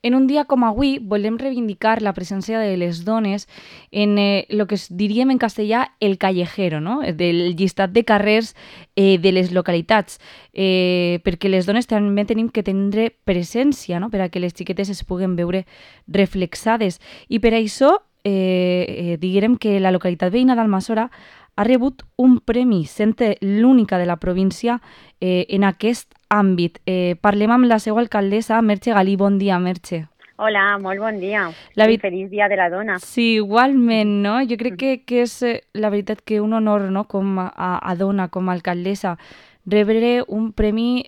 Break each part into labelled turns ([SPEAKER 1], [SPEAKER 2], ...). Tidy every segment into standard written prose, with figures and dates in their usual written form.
[SPEAKER 1] En un dia com avui volem reivindicar la presència de les dones en el que diríem en castellà el callejero, no? Del llistat de carrers de les localitats, perquè les dones també tenim que tindre presència, no? Per a que les xiquetes es puguen veure reflexades. I per això diguem que la localitat veïna d'Almassora ha rebut un premi, sent l'única de la província en aquest àmbit. Parlem amb la seva alcaldessa, Merche Galí. Bon dia, Merche.
[SPEAKER 2] Hola, molt bon dia i feliç dia de la dona.
[SPEAKER 1] Sí, igualment, no? Jo crec que és la veritat que un honor, no?, com a dona, com a alcaldessa, rebre un premi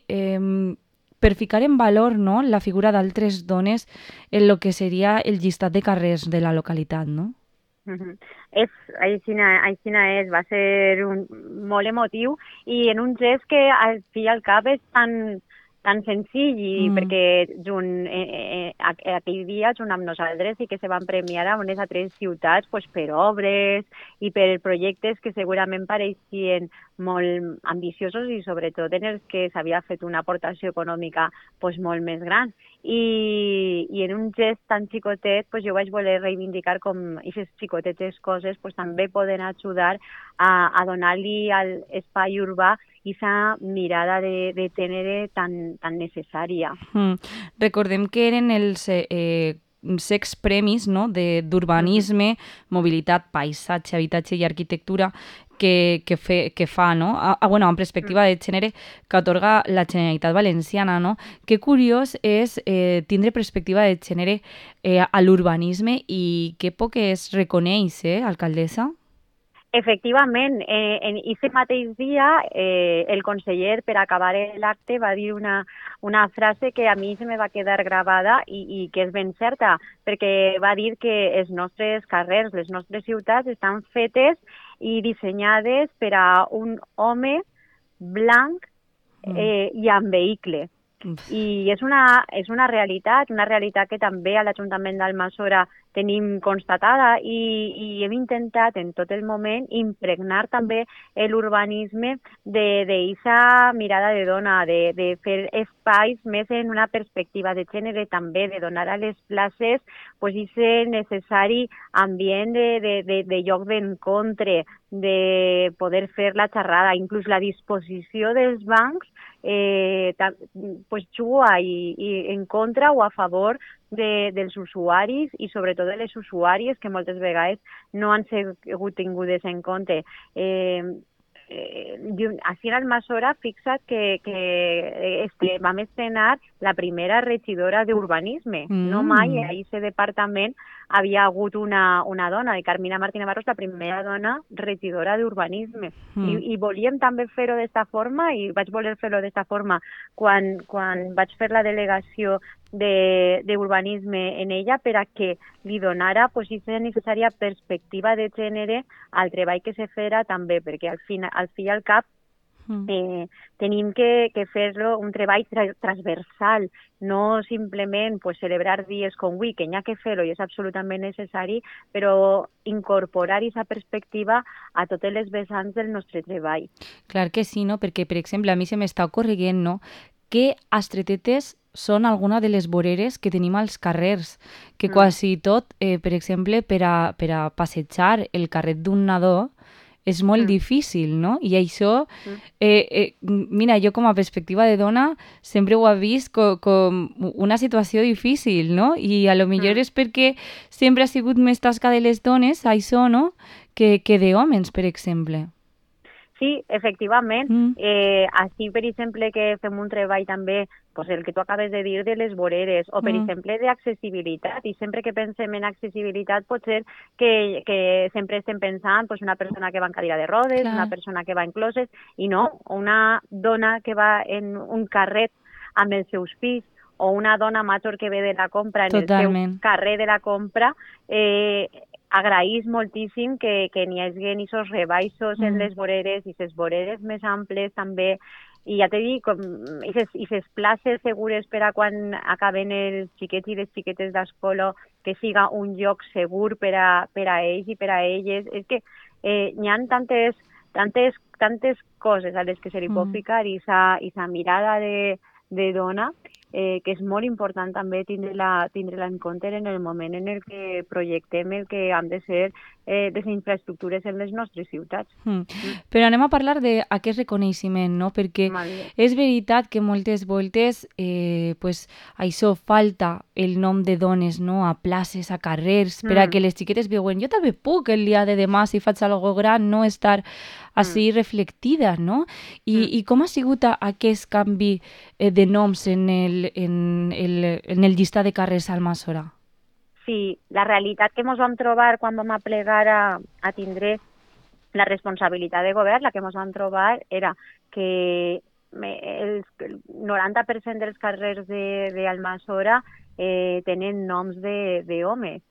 [SPEAKER 1] per ficar en valor, no?, la figura d'altres dones en lo que seria el llistat de carrers de la localitat, no?
[SPEAKER 2] Aixina és, va ser molt emotiu i en un gest que al fi i al cap és tan senzill i perquè aquell dia junt amb nosaltres sí que se van premiar a unes altres ciutats pues, per obres i per projectes que segurament pareixien molt ambiciosos i sobretot en els que s'havia fet una aportació econòmica pues, molt més gran. I en un gest tan xicotet pues, jo vaig voler reivindicar com aquestes xicotetes coses pues, també poden ajudar a donar-li a l'espai urbà aquesta mirada de gènere tan necessària.
[SPEAKER 1] Recordem que eren els 6 premis, no?, d'urbanisme, mobilitat, paisatge, habitatge i arquitectura que fa, no? Bueno, en perspectiva de gènere que atorga la Generalitat Valenciana, no? Que curiós és tindre perspectiva de gènere a l'urbanisme i que poc es reconeix, alcaldessa?
[SPEAKER 2] Efectivament, en aquest mateix dia el conseller, per acabar l'acte, va dir una frase que a mi se me va quedar gravada i que és ben certa, perquè va dir que els nostres carrers, les nostres ciutats estan fetes i dissenyades per a un home blanc i amb vehicle. I és una realitat que també a l'Ajuntament d'Almassora tenim constatada i hem intentat en tot el moment impregnar també l'urbanisme d'aquesta mirada de dona, de fer espais més en una perspectiva de gènere també, de donar a les places pues, aquest necessari ambient de lloc d'encontre, de poder fer la xerrada, inclús la disposició dels bancs pues juga en contra o a favor dels usuaris i sobretot de les usuàries que moltes vegades no han sigut tingudes en compte. Així en Almassora, fixa't que vam estrenar la primera regidora d'urbanisme. No mai a aquest departament havia hagut una dona, de Carmina Martí Navarro, la primera dona regidora d'urbanisme. I volíem també fer-ho d'esta forma i vaig voler fer-ho d'esta forma quan vaig fer la delegació d'urbanisme en ella per a que li donara aquesta necessària perspectiva de gènere al treball que se farà també, perquè al fi i al cap tenim que fer-lo un treball transversal, no simplement pues, celebrar dies com avui, que n'hi ha que fer-ho i és absolutament necessari, però incorporar aquesta perspectiva a totes les vessants del nostre treball.
[SPEAKER 1] Clar que sí, no? Perquè, per exemple, a mi se m'està ocorrent, no?, que estretetes són alguna de les voreres que tenim als carrers, que quasi tot, per exemple, per a passejar el carret d'un nadó, és molt difícil, no? I això, mira, jo com a perspectiva de dona sempre ho he vist com una situació difícil, no? I a lo millor és perquè sempre ha sigut més tasca de les dones, això, no?, que d'hòmens, per exemple.
[SPEAKER 2] Sí, efectivament. Així, per exemple, que fem un treball també, pues el que tu acabes de dir de les voreres, o per exemple d'accessibilitat, i sempre que pensem en accessibilitat pot ser que sempre estem pensant pues, una persona que va en cadira de rodes, una persona que va en closets, i no, una dona que va en un carret amb els seus fills, o una dona major que ve de la compra en el seu carrer de la compra, agraïs moltíssim que n'hi hagi aquests rebaixos en les voreres i les voreres més amples també, i ja t'he dit, i les places segures per a quan acaben els xiquets i les xiquetes d'escola, que siga un lloc segur per a ells i per a elles. És que n'hi ha tantes coses a les que se li pot ficar i sa mirada de dona, que és molt important també tindre-la en compte en el moment en el que projectem el que han de ser les infraestructures en les nostres ciutats.
[SPEAKER 1] Però anem a parlar d'aquest reconeixement, no? Perquè és veritat que moltes voltes pues, això falta el nom de dones, no? A places, a carrers, per a que les xiquetes veuen jo també puc el dia de demà, si faig alguna gran, no estar així reflectida, no? I com ha sigut aquest canvi de noms en el llistat de carrers al Almassora?
[SPEAKER 2] Sí, la realitat que ens vam trobar quan vam aplegar a tindre la responsabilitat de govern, la que ens vam trobar era que el 90% dels carrers d'Almassora tenen noms d'homes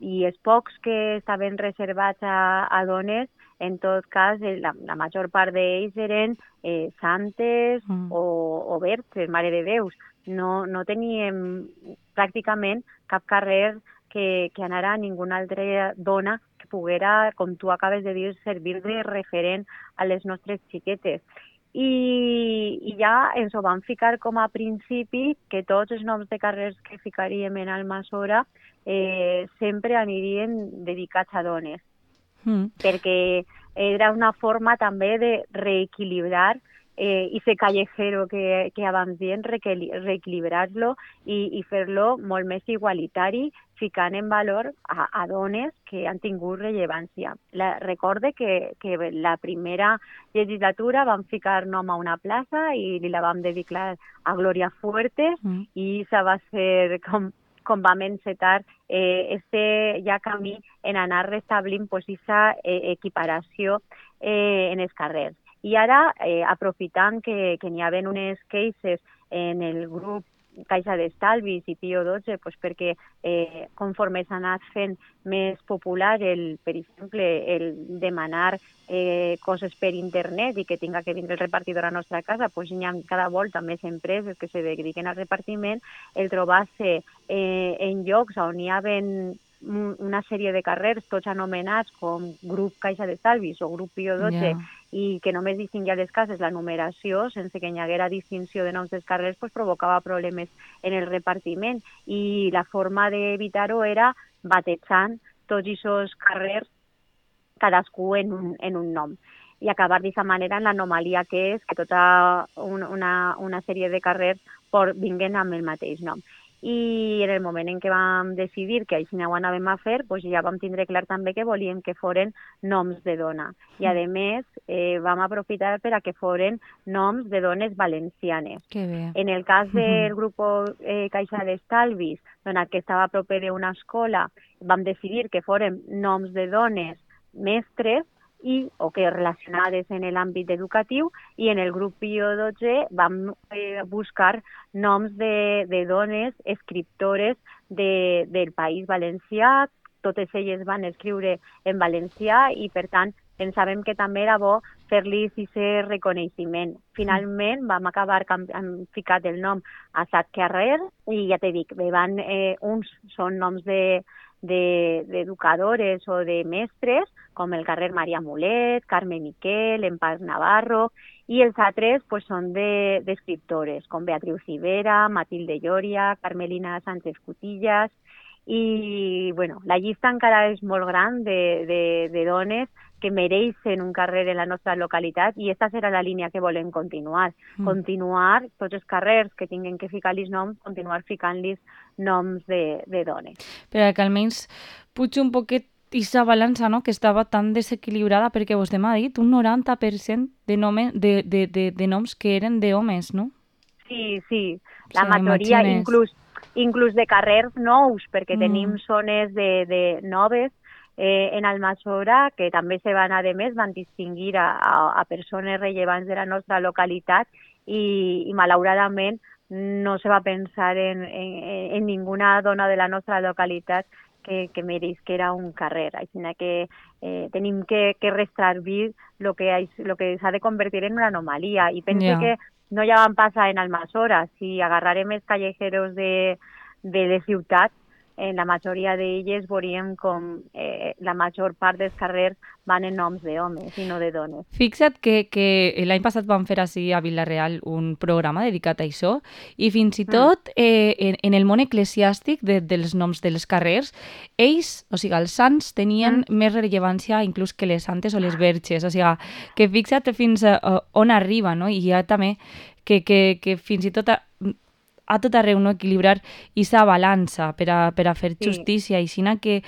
[SPEAKER 2] i els pocs que estaven reservats a dones, en tot cas, la major part d'ells eren santes o verges, Mare de Déus. No teníem pràcticament cap carrer que anara a ninguna altra dona que poguera, com tu acabes de dir, servir de referent a les nostres xiquetes. I ja ens ho vam ficar com a principi que tots els noms de carrers que ficaríem en Almassora sempre anirien dedicats a dones, perquè era una forma també de reequilibrar i fer callejero que abans dient, reequilibrar-lo i fer-lo molt més igualitari, ficant en valor a dones que han tingut rellevància. Recorde que la primera legislatura vam ficar nom a una plaça i la vam dedicar a Glòria Fuertes i això va ser com vam encetar este ja camí en anar restablint aquesta equiparació en els carrers. I ara, aprofitant que n'hi havia unes queixes en el grup Caixa d'Estalvis i Pío XII, pues perquè conforme s'ha anat fent més popular, per exemple, el demanar coses per internet i que tinga que vindre el repartidor a la nostra casa, pues hi ha cada volta més empreses que se dediquen al repartiment, el trobar-se en llocs on hi havia una sèrie de carrers, tots anomenats com grup Caixa d'Estalvis o grup Pío XII, i que només distingia les cases la numeració, sense que hi haguera distinció de noms dels carrers, pues provocava problemes en el repartiment. I la forma d'evitar-ho era batejant tots aquests carrers, cadascú en un nom. I acabar d'aquesta manera en l'anomalia que és que tota una sèrie de carrers vinguen amb el mateix nom. I en el moment en què vam decidir que així ho anàvem a fer, doncs ja vam tindre clar també que volíem que foren noms de dona. I a més vam aprofitar per a que foren noms de dones valencianes. En el cas del grup Caixa d'Estalvis, que estava a proper d'una escola, vam decidir que foren noms de dones mestres o que relacionades en l'àmbit educatiu, i en el grup Pío XII vam buscar noms de dones escriptores del País Valencià. Totes elles van escriure en valencià i, per tant, pensàvem que també era bo fer-li aquest reconeixement. Finalment vam acabar ficat el nom a 7 carrers i ja t'he dit, uns són noms d'educadores o de mestres, com el carrer Maria Mulet, Carme Miquel, Empar Navarro, i els altres pues, són d'escriptores, com Beatriu Civera, Matilde Lloria, Carmelina Sánchez Cutillas, i bueno, la llista encara és molt gran de dones que mereixen un carrer en la nostra localitat, i aquesta serà la línia que volem continuar. Continuar tots els carrers que tinguin que ficar-los noms, continuar ficant-los noms de dones.
[SPEAKER 1] Però que almenys puig un poquet aquesta balança, no?, que estava tan desequilibrada, perquè vostè m'ha dit un 90% de noms que eren d'homes, no?
[SPEAKER 2] Sí. La majoria, inclús de carrers nous, perquè tenim zones de noves en Almassora que també se van, a més, van distingir a persones rellevants de la nostra localitat i malauradament no se va pensar en ninguna dona de la nostra localitat que mereix que era un carrer. Així que tenim que restringir el que s'ha de convertir en una anomalia. I penso que no ja van passar en Almassora. Si agarrarem els callejeros de les ciutats, en la majoria d'elles veuríem com la major part dels carrers van en noms d'homes i no de dones.
[SPEAKER 1] Fixa't que l'any passat vam fer així a Vila-real un programa dedicat a això i fins i tot en el món eclesiàstic dels noms dels carrers, ells, o sigui, els sants tenien més rellevància inclús que les santes o les verges, o sigui, que fixa't fins on arriba, no? I hi ha també que fins i tot a tot arreu, no? Equilibrar aquesta balança per a fer justícia. I sinó que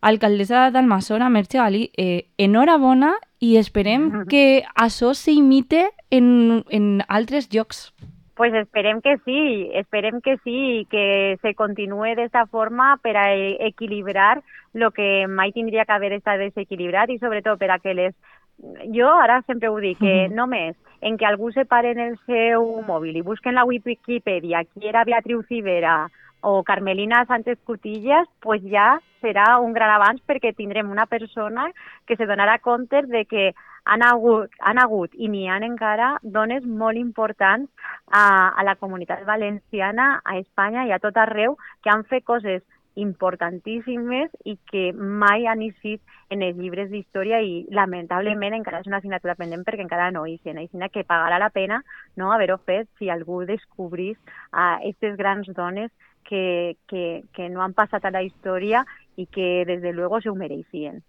[SPEAKER 1] alcaldessa d'Almassora, Merche Galí, enhorabona i esperem que això s'imite en altres llocs.
[SPEAKER 2] Pues esperem que sí, i que se continuï d'esta forma per a equilibrar el que mai tindria que haver estat desequilibrat i sobretot per a que les... Jo ara sempre ho dic, que només en que algú se pare en el seu mòbil i busquen la Wikipedia qui era Beatriu Civera o Carmelina Sánchez Cutillas, pues ja serà un gran avanç perquè tindrem una persona que se donarà compte de que han hagut i n'hi ha encara dones molt importants a la comunitat valenciana, a Espanya i a tot arreu, que han fet coses importantíssimes i que mai han eixit en els llibres d'història i lamentablement encara és una assignatura pendent perquè encara no eixen. Així que pagarà la pena no haver-ho fet si algú descobrís aquestes grans dones que no han passat a la història i que des de luego se ho mereixien.